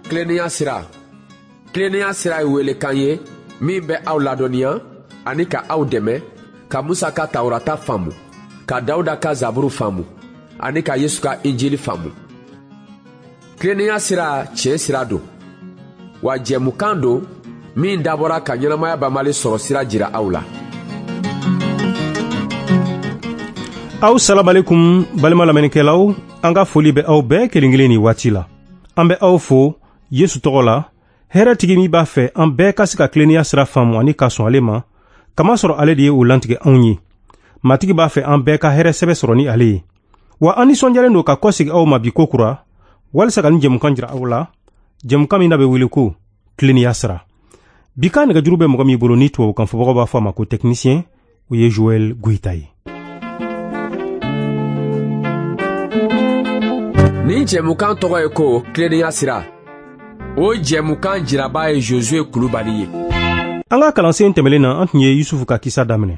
Tilennenya sira. Tilennenya sira ye welekan ye min bɛ aw ladɔnniya ani ka aw dɛmɛ ka Musa ka Tawurata faamu, ka Dawuda ka Zaburu faamu ani ka Yesu ka Injili faamu. Tilennenya sira tiɲɛ sira don, wa jɛmukan don min dabɔra ka ɲɛnamaya banbali sɔrɔ sira jira aw la. Aw salamalekun balima lamɛnnikɛlaw, an ka foli bɛ aw bɛɛ kelen kelen nin waati la. An bɛ aw fo Yesu tɔgɔ la, hɛrɛtigi min b'a fɛ an bɛɛ ka se ka tilennenya sira faamu ani ka sɔn ale ma, kamasɔrɔ ale de ye o lantigɛ anw ye. Matigi b'a fɛ an bɛɛ ka hɛrɛ sɛbɛ sɔrɔ ni ale ye. Wa an nisɔndiyalen don ka kɔsegin aw ma bi ko kura, walisa ka nin jɛmukan jira aw la, jɛmukan min n'a bɛ wele ko tilennenya sira. Bi ka nɛgɛjuru bɛ mɔgɔ min bolo ni tubabukan fɔbagaw b'a fɔ a ma ko technicien, o ye Joël Goïta ye. Nin jɛmukan tɔgɔ ye ko tilennenya sira. O jɛmukan jiraba ye Josue Kulubali ye. An ka kalansen tɛmɛlen na, an tun ye Yusufu ka kisa daminɛ.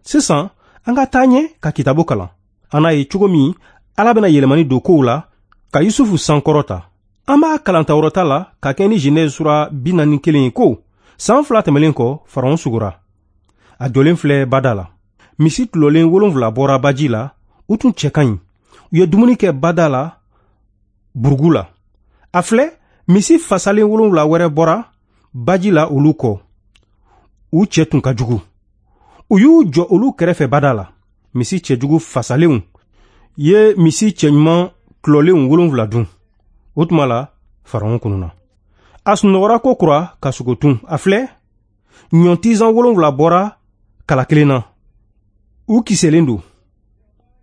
Sisan, an ka taa ɲɛ ka kitabu kalan. An n'a ye cogo min Ala bɛna yɛlɛmani don kow la ka Yusufu sankɔrɔta. An b'a kalan Tawurata la ka kɛ ni Genèse sura 41 ye ko san 2 tɛmɛlen kɔ, Faraon sugora. A jɔlen filɛ bada la. Misi tulɔlen 7 bɔra baji la, u tun cɛ ka ɲi. U ye dumuni kɛ bada la burugu la. A filɛ, misi fasalen 7 wɛrɛ bɔra baji la olu kɔ. U cɛ tun ka jugu. U y'u jɔ olu kɛrɛfɛ bada la. Misi cɛjugu fasalenw ye misi cɛɲuman tulɔlenw 7 dun. O tuma la, Faraon kununa. A sunɔgɔra ko kura ka sogo tun. A filɛ, ɲɔntizan 7 bɔra kala kelen na. U kisɛlen don.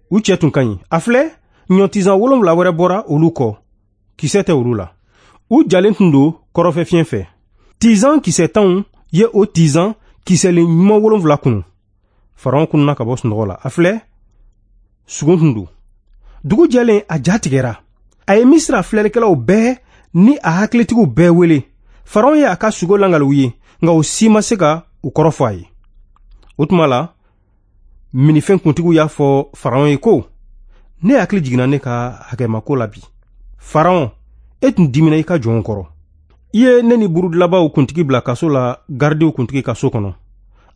U cɛ tun ka ɲi. A filɛ, ɲɔntizan 7 wɛrɛ bɔra olu kɔ. Kisɛ tɛ olu la. U jalen tun don kɔrɔfɛ fiɲɛ fɛ. Tizan kisɛ tanw ye o tizan kisɛlen ɲuman 7 kunu. Faraon kununa ka bɔ sunɔgɔ la. A filɛ, sugo tun don. Dugu jɛlen, a ja tigɛra. A ye Misira filɛlikɛlaw bɛɛ ni a hakilitigiw bɛɛ wele. Faraon ye a ka sugo langali u ye, nka u si ma se ka u kɔrɔ fɔ a ye. O tuma la, minifɛn kuntigiw y'a fɔ Faraon ye ko, ne hakili jiginna ne ka hakɛmako la bi. Faraon, e tun dimina i ka jɔnw kɔrɔ. I ye ne ni burudilabaw kuntigi bila kaso la garidiw kuntigi ka so kɔnɔ.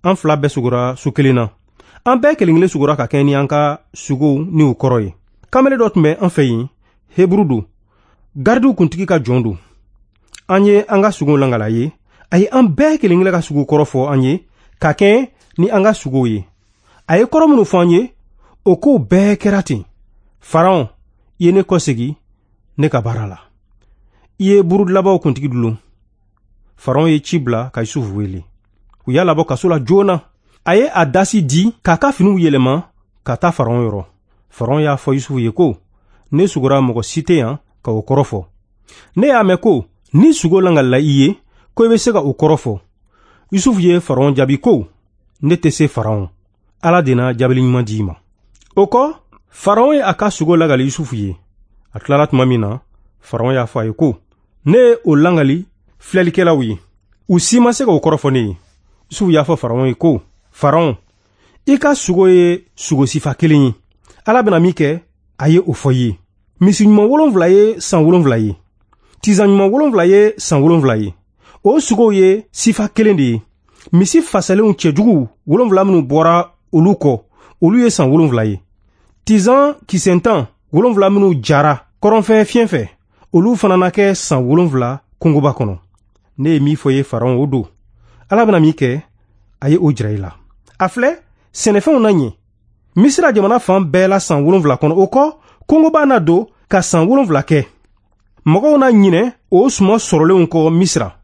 An fila bɛɛ sugora so kelen na. An bɛɛ kelen kelen sugora ka kɛ ni an ka sugow ni u kɔrɔ ye. Kamalen dɔ tun bɛ an fɛ yen, Heburu don, garidiw kuntigi ka jɔn don. An ye an ka sugow langala ye. A ye an bɛɛ kelen kelen ka sugo kɔrɔ fɔ an ye ka kɛ ni an ka sugow ye. A ye kɔrɔ minnu fɔ an ye, o kow bɛɛ kɛra ten. Faraon, i ye ne kɔsegin ne ka baara la. I ye burudilabaw kuntigi dulon. Faraon ye ci bila ka Yusufu wele. U y'a labɔ kaso la joona. A ye a dasi di k'a ka finiw yɛlɛma ka taa Faraon yɔrɔ. Faraon y'a fɔ Yusufu ye ko, ne sugora mɔgɔ si tɛ yan ka o kɔrɔ fɔ. Ne y'a mɛn ko ni sugo langalila i ye, ko i bɛ se ka o kɔrɔ fɔ. Yusufu ye Faraon jaabi ko, ne tɛ se Faraon. Ala de na jaabili ɲuman di i ma. O kɔ, Faraon ye a ka sugo langali Yusufu ye. A tilala tuma min na, Faraon y'a fɔ a ye ko, ne ye o langali filɛlikɛlaw ye. U si ma se ka o kɔrɔ fɔ ne ye. Yusufu y'a fɔ Faraon ye ko, Faraon, i ka sugo ye sugo sifa kelen ye. Ala bɛna min kɛ, a ye o fɔ i ye. Misi ɲuman 7 ye san 7 ye. Tizan ɲuman 7 ye san 7 ye. O sugow ye sifa kelen de ye. Misi fasalenw cɛjuguw 7 minnu bɔra olu kɔ, olu ye san 7 ye. Tizan kisɛntan 7 minnu jara kɔrɔnfɛ fiɲɛ fɛ, olu fana na kɛ san 7 kungoba kɔnɔ. Ne ye min fɔ ye Faraon, o don. Ala bɛna min kɛ, a ye o jira i la. A filɛ, sɛnɛfɛnw na ɲɛ. Misira jamana fan bɛɛ la san 7 kɔnɔ. O kɔ, kungoba na don ka san 7 kɛ. Mɔgɔw na ɲinɛ o suman sɔrɔlenw kɔ Misira.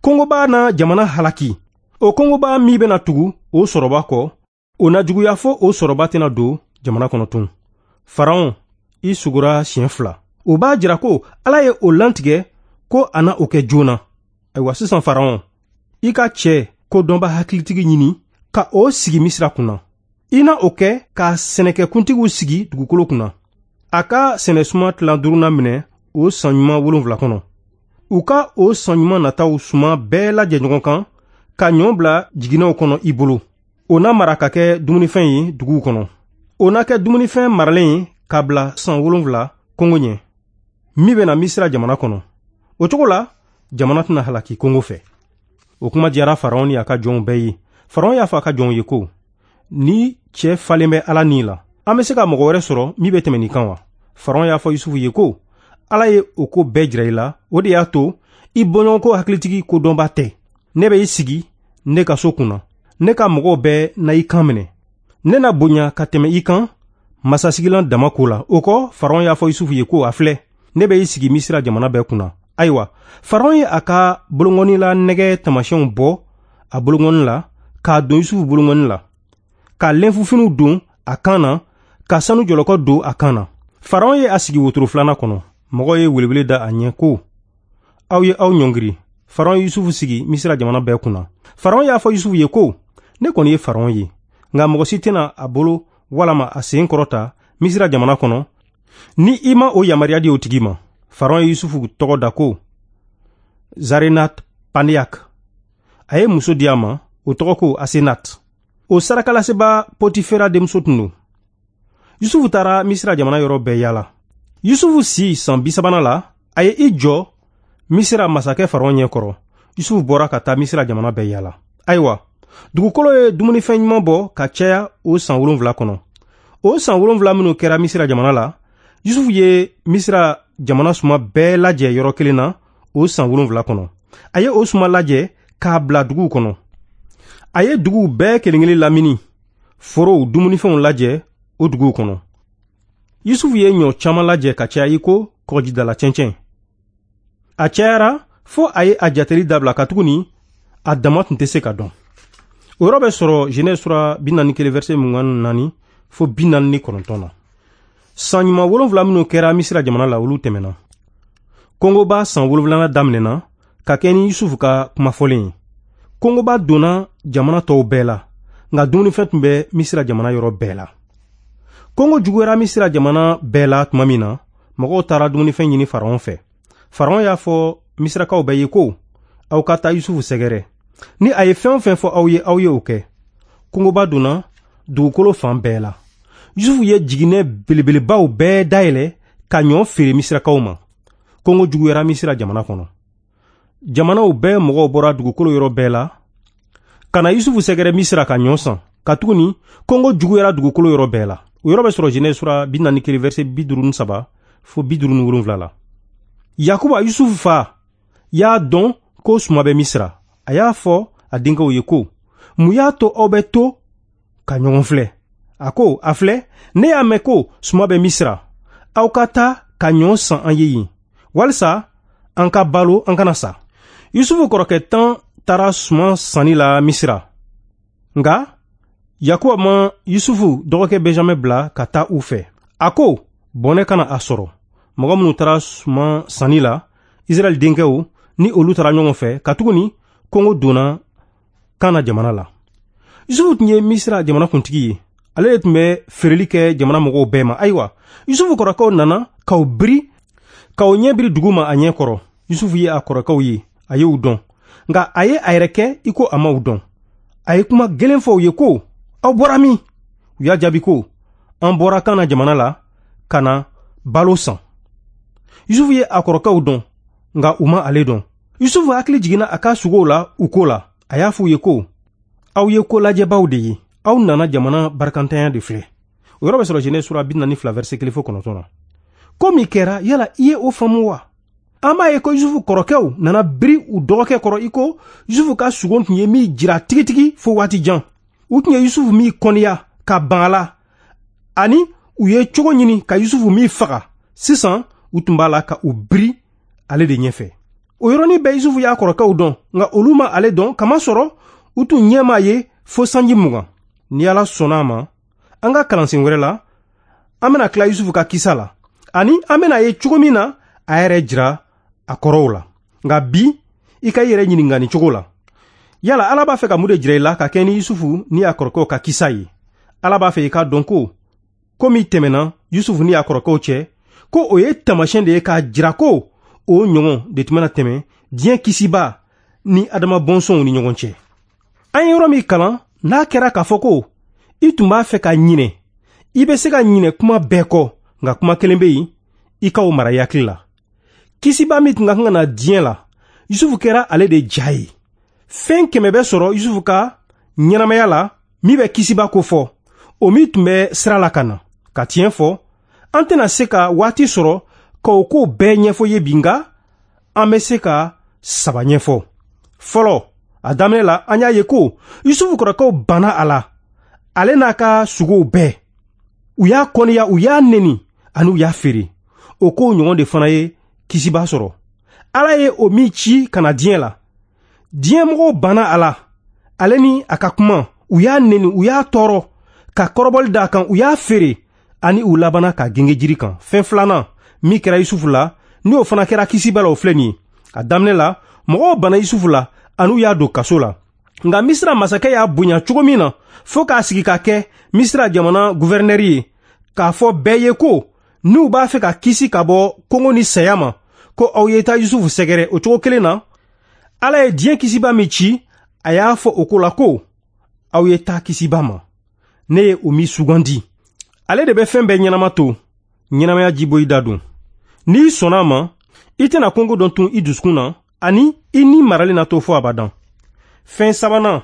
Kungoba na jamana halaki. O kungoba min bɛna tugu o sɔrɔba kɔ, o na juguya fo o sɔrɔba tɛna don jamana kɔnɔ tun. Faraon, i sugora siɲɛ 2. O b'a jira ko Ala ye o lantigɛ ko a na o kɛ joona. Ayiwa sisan Faraon, i ka cɛ ko dɔnba hakilitigi ɲini ka o sigi Misira kunna. I na o kɛ ka sɛnɛkɛkuntigiw sigi dugukolo kunna. A ka sɛnɛsuma tilan 5nan minɛ o san ɲuman 7 kɔnɔ. U ka o san ɲuman nataw suma bɛɛ lajɛ ɲɔgɔn kan ka ɲɔ bila jiginɛw kɔnɔ i bolo. O na mara ka kɛ dumunifɛn ye duguw kɔnɔ. O na kɛ dumunifɛn maralen ye ka bila san 7 kɔngɔ ɲɛ, min bɛna Misira jamana kɔnɔ. O cogo la, Jamana tɛna halaki kɔngɔ fɛ. O kuma diyara Faraon ni a ka jɔnw bɛɛ ye. Faraon y'a fɔ a ka jɔnw ye ko: Ni cɛ falen bɛ Ala ni la, an bɛ se ka mɔgɔ wɛrɛ sɔrɔ min bɛ tɛmɛ nin kan wa? Faraon y'a fɔ Yusufu ye ko: Ala ye o ko bɛɛ jira i la, o de y'a to i bɔɲɔgɔnko hakilitigi kodɔnba tɛ. Ne bɛ i sigi ne ka so kunna, ne ka mɔgɔw bɛɛ na i kan minɛ. Ne na bonya ka tɛmɛ i kan masasigilan dama ko la. O kɔ, Faraon y'a fɔ Yusufu ye ko: A filɛ, ne bɛ i sigi Misira jamana bɛɛ kunna. Ayiwa, Faraon ye a ka bolonkɔni la nɛgɛ taamasiyɛnw bɔ a bolonkɔni la k'a don Yusufu bolonkɔni la, ka lenfufiniw don a kan na, ka sanu jɔlɔkɔ don a kan na. Faraon ye a sigi wotoro filanan kɔnɔ. Mɔgɔw ye welewele da a ɲɛ ko: Aw ye aw ɲɔngiri. Faraon ye Yusufu sigi Misira jamana bɛɛ kunna. Faraon y'a fɔ Yusufu ye ko: Ne kɔni ye Faraon ye, nka mɔgɔ si tɛna a bolo walama a sen kɔrɔta Misira jamana kɔnɔ ni i ma o yamaruya di o tigi ma. Faraon ye Yusufu tɔgɔ da ko Zarenat Paneyak. A ye muso di a ma, o tɔgɔ ko Asenat. O sarakalaseba Potifera denmuso tun don. Yusufu taara Misira jamana yɔrɔ bɛɛ yaala. Yusufu si san 30nan la, a ye i jɔ Misira masakɛ Faraon ɲɛkɔrɔ. Yusufu bɔra ka taa Misira jamana bɛɛ yaala. Ayiwa, dugukolo ye dumunifɛn ɲuman bɔ ka caya o san 7 kɔnɔ. O san 7 minnu kɛra Misira jamana la, Yusufu ye Misira jamana suma bɛɛ lajɛ yɔrɔ kelen na o san 7 kɔnɔ. A ye o suma lajɛ k'a bila duguw kɔnɔ. A ye duguw bɛɛ kelen kelen lamini, forow dumunifɛnw lajɛ o duguw kɔnɔ. Yusufu ye ɲɔ caman lajɛ ka caya i ko kɔgɔjidala cɛncɛn. A cayara fo a ye a jateli dabila, katuguni a dama tun tɛ se ka dɔn. O yɔrɔ bɛ sɔrɔ Genèse sura 41 verset 24 fo 49 na. San ɲuman 7 minnu kɛra Misira jamana la, olu tɛmɛna. Kɔngɔba san 7nan daminɛna ka kɛ ni Yusufu ka kumafɔlen ye. Kɔngɔba donna jamana tɔw bɛɛ la, nka dumunifɛn tun bɛ Misira jamana yɔrɔ bɛɛ la. Kɔngɔ juguyara Misira jamana bɛɛ la tuma min na, mɔgɔw taara dumunifɛn ɲini Faraon fɛ. Faraon y'a fɔ Misirakaw bɛɛ ye ko: Aw ka taa Yusufu sɛgɛrɛ. Ni a ye fɛn o fɛn fɔ aw ye, aw ye o kɛ. Kɔngɔba donna dugukolo fan bɛɛ la. Yusufu ye jiginɛ belebelebaw bɛɛ dayɛlɛ ka ɲɔ feere Misirakaw ma. Kɔngɔ juguyara Misira jamana kɔnɔ. Jamanaw bɛɛ mɔgɔw bɔra dugukolo yɔrɔ bɛɛ la ka na Yusufu sɛgɛrɛ Misira ka ɲɔ san, katuguni kɔngɔ juguyara dugukolo yɔrɔ bɛɛ la. O yɔrɔ bɛ sɔrɔ Genèse sura 41 verset 53 fo 57 la. Yakuba, Yusufu fa, y'a dɔn ko suma bɛ Misira. A y'a fɔ a denkɛw ye ko: Mun y'a to aw bɛ to ka ɲɔgɔn filɛ? A ko: A filɛ, ne y'a mɛn ko suma bɛ Misira. Aw ka taa ka ɲɔ san an ye yen, walisa an ka balo, an kana sa. Yusufu kɔrɔkɛ 10 taara suman sanni la Misira. Nka Yakuba ma Yusufu dɔgɔkɛ Benjamin bila ka taa u fɛ. A ko: Bɔnɛ kana a sɔrɔ. Mɔgɔ minnu taara suman sanni la, Israɛl denkɛw ni olu taara ɲɔgɔn fɛ, katuguni kɔngɔ donna Kana jamana la. Yusufu tun ye Misira jamana kuntigi ye. Ale de tun bɛ feereli kɛ jamana mɔgɔw bɛɛ ma. Ayiwa, Yusufu kɔrɔkɛw nana k'aw biri, k'aw ɲɛ biri dugu ma a ɲɛ kɔrɔ. Yusufu ye a kɔrɔkɛw ye, a y'u dɔn. Nka a ye a yɛrɛ kɛ i ko a m'aw dɔn. A ye kuma gɛlɛn fɔ u ye ko: Aw bɔra min? U y'a jaabi ko: An bɔra Kana jamana la ka na balo san. Yusufu ye a kɔrɔkɛw dɔn, nka u ma ale dɔn. Yusufu hakili jiginna a ka sugow la u ko la. A y'a fɔ u ye ko: Aw ye ko lajɛbaw de ye. Aw nana jamana barikantanya de filɛ. O yɔrɔ bɛ sɔrɔ Genèse sura 42 verset 1 fo 9 na. Ko min kɛra, yala i ye o faamu wa? An b'a ye ko Yusufu kɔrɔkɛw nana biri u dɔgɔkɛ kɔrɔ i ko Yusufu ka sugo tun ye min jira tigitigi fo waati jan. U tun ye Yusufu min kɔniya ka ban a la, ani u ye cogo ɲini ka Yusufu min faga. Sisan u tun b'a la ka u biri ale de ɲɛfɛ. O yɔrɔnin bɛɛ Yusufu y'a kɔrɔkɛw dɔn, nka olu ma ale dɔn, kamasɔrɔ u tun ɲɛ m'a ye fo sanji 20. Ni Ala sɔnna a ma, an ka kalansen wɛrɛ la, an bɛna tila Yusufu ka kisa la, ani an bɛna ye cogo min na a yɛrɛ jira a kɔrɔw la. Nka bi, i ka i yɛrɛ ɲininka nin cogo la: Yala Ala b'a fɛ ka mun de jira i la ka kɛ ni Yusufu ni a kɔrɔkɛw ka kisa ye? Ala b'a fɛ i k'a dɔn ko ko min tɛmɛna Yusufu ni a kɔrɔkɛw cɛ, ko o ye taamasiyɛn de ye k'a jira ko o ɲɔgɔn de tun bɛna tɛmɛ diɲɛ kisiba ni Adama bɔnsɔnw ni ɲɔgɔn cɛ. An ye yɔrɔ min kalan, n'a kɛra k'a fɔ ko i tun b'a fɛ ka ɲinɛ, i bɛ se ka ɲinɛ kuma bɛɛ kɔ, nka kuma kelen bɛ yen, i ka o mara i hakili la. Kisiba min tun ka kan ka na diɲɛ la, Yusufu kɛra ale de ja ye. Fɛn 100 bɛ sɔrɔ Yusufu ka ɲɛnamaya la min bɛ kisiba ko fɔ, o min tun bɛ sira la ka na. Ka tiɲɛ fɔ, an tɛna se ka waati sɔrɔ ka o ko bɛɛ ɲɛfɔ ye bi, nka an bɛ se ka 3 ɲɛfɔ. Fɔlɔ, a daminɛ la, an y'a ye ko Yusufu kɔrɔkɛw banna a la, ale n'a ka sugow bɛɛ. U y'a kɔniya, u y'a neni, ani u y'a feere. O kow ɲɔgɔn de fana ye kisiba sɔrɔ. Ala ye o min ci ka na diɲɛ la, diɲɛmɔgɔw banna a la, ale ni a ka kuma. U y'a neni, u y'a tɔɔrɔ, ka kɔrɔbɔli d'a kan, u y'a feere, ani u labanna ka genge jiri kan. Fɛn filanan min kɛra Yusufu la, n'o fana kɛra kisiba la, o filɛ nin ye. A daminɛ la, mɔgɔw banna Yusufu la, ani u y'a don kaso la. Nka Misira masakɛ y'a bonya cogo min na, fo k'a sigi ka kɛ Misira jamana guvɛrinɛri ye, k'a fɔ bɛɛ ye ko n'u b'a fɛ ka kisi ka bɔ kɔngɔ ni saya ma, ko aw ye taa Yusufu sɛgɛrɛ. O cogo kelen na, Ala ye diɲɛ kisiba min ci, a y'a fɔ o ko la ko aw ye taa kisiba ma, ne ye o min sugandi. Ale de bɛ fɛn bɛɛ ɲɛnama to, ɲɛnamaya jiboyi da don. N'i sɔnna a ma, i tɛna kɔngɔ dɔn tun i dusukun na, ani i ni maralen na to fo abadan. Fɛn sabanan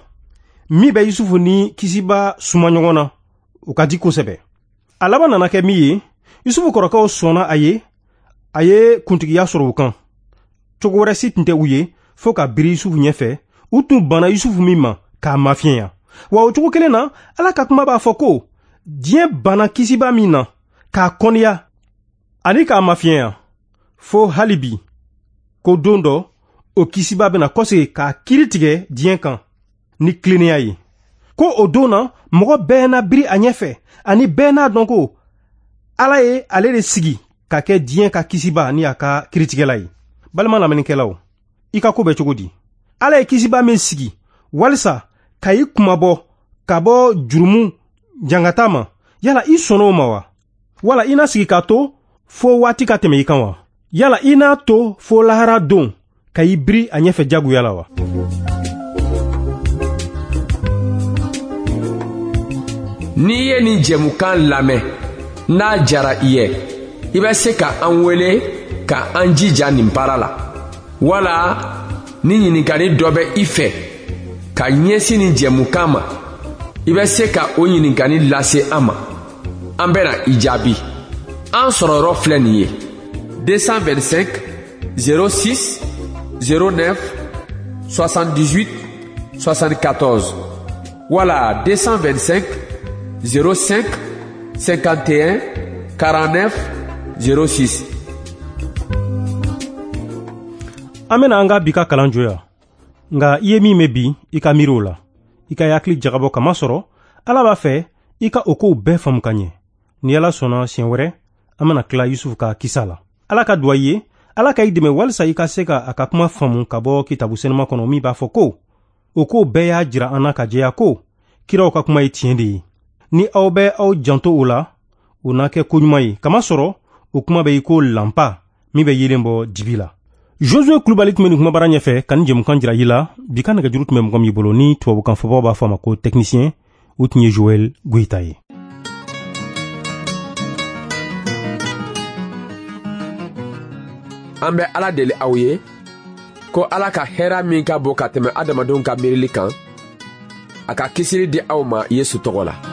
min bɛ Yusufu ni kisiba suma ɲɔgɔn na, o ka di kosɛbɛ. A laban nana kɛ min ye, Yusufu kɔrɔkɛw sɔnna a ye, a ye kuntigiya sɔrɔ u kan. Cogo wɛrɛ si tun tɛ u ye fo ka biri Yusufu ɲɛfɛ. U tun banna Yusufu min ma k'a mafiɲɛya. Wa o cogo kelen na, Ala ka kuma b'a fɔ ko diɲɛ banna kisiba min na k'a kɔniya ani k'a mafiɲɛya, fo hali bi ko don dɔ o kisiba bɛna kɔsegin k'a kiiri tigɛ diɲɛ kan ni tilennenya ye. Ko o don na, mɔgɔ bɛɛ na biri a ɲɛfɛ, ani bɛɛ n'a dɔn ko Ala ye ale de sigi ka kɛ diɲɛ ka kisiba ni a ka kiiritigɛla ye. Balima lamɛnnikɛlaw, i ka ko bɛ cogo di? Ala ye kisiba min sigi walisa ka i kunmabɔ ka bɔ jurumu jangata ma, yala i sɔnna o ma wa? Wala i na sigi k'a to fo waati ka tɛmɛ i kan wa? Yala i n'a to fo lahara don ka i biri a ɲɛfɛ jagoya la wa? N'i ye nin jɛmukan lamɛn, n'a jara i ye, i bɛ se ka an wele ka an jija nin baara la. Wala ni ɲininkali dɔ bɛ i fɛ ka ɲɛsin nin jɛmukan ma, i bɛ se ka o ɲininkali lase an ma. An bɛna i jaabi. An sɔrɔ yɔrɔ filɛ nin ye: 225 06 09 78 74 wala 225 05 51 49 06. An bɛna an ka bi ka kalan jɔ yan. Nka i ye min mɛn bi, i ka miiri o la, i ka hakili jagabɔ, kamasɔrɔ Ala b'a fɛ i ka o kow bɛɛ faamu ka ɲɛ. Ni Ala sɔnna, siɲɛ wɛrɛ an bɛna tila Yusufu ka kisa la. Ala ka duwa i ye, Ala ka i dɛmɛ walisa i ka se ka a ka kuma faamu ka bɔ kitabu senuma kɔnɔ, min b'a fɔ ko o kow bɛɛ y'a jira an na ka jɛya ko kiraw ka kuma ye tiɲɛ de ye. Ni aw bɛ aw janto o la, o na kɛ koɲuman ye, kamasɔrɔ o kuma bɛ i ko lanpa min bɛ yeelen bɔ dibi la. Josue Kulubali tun bɛ nin kumabara ɲɛfɛ ka nin jɛmukan jira i la. Bi ka nɛgɛjuru tun bɛ mɔgɔ min bolo, ni tubabukan fɔbaw b'a fɔ a ma ko technicien, o tun ye Joël Goyita ye. An bɛ Ala deli aw ye ko Ala ka hɛra min ka bon ka tɛmɛ adamadenw ka miirili kan, a ka kisili di aw ma Yesu tɔgɔ la.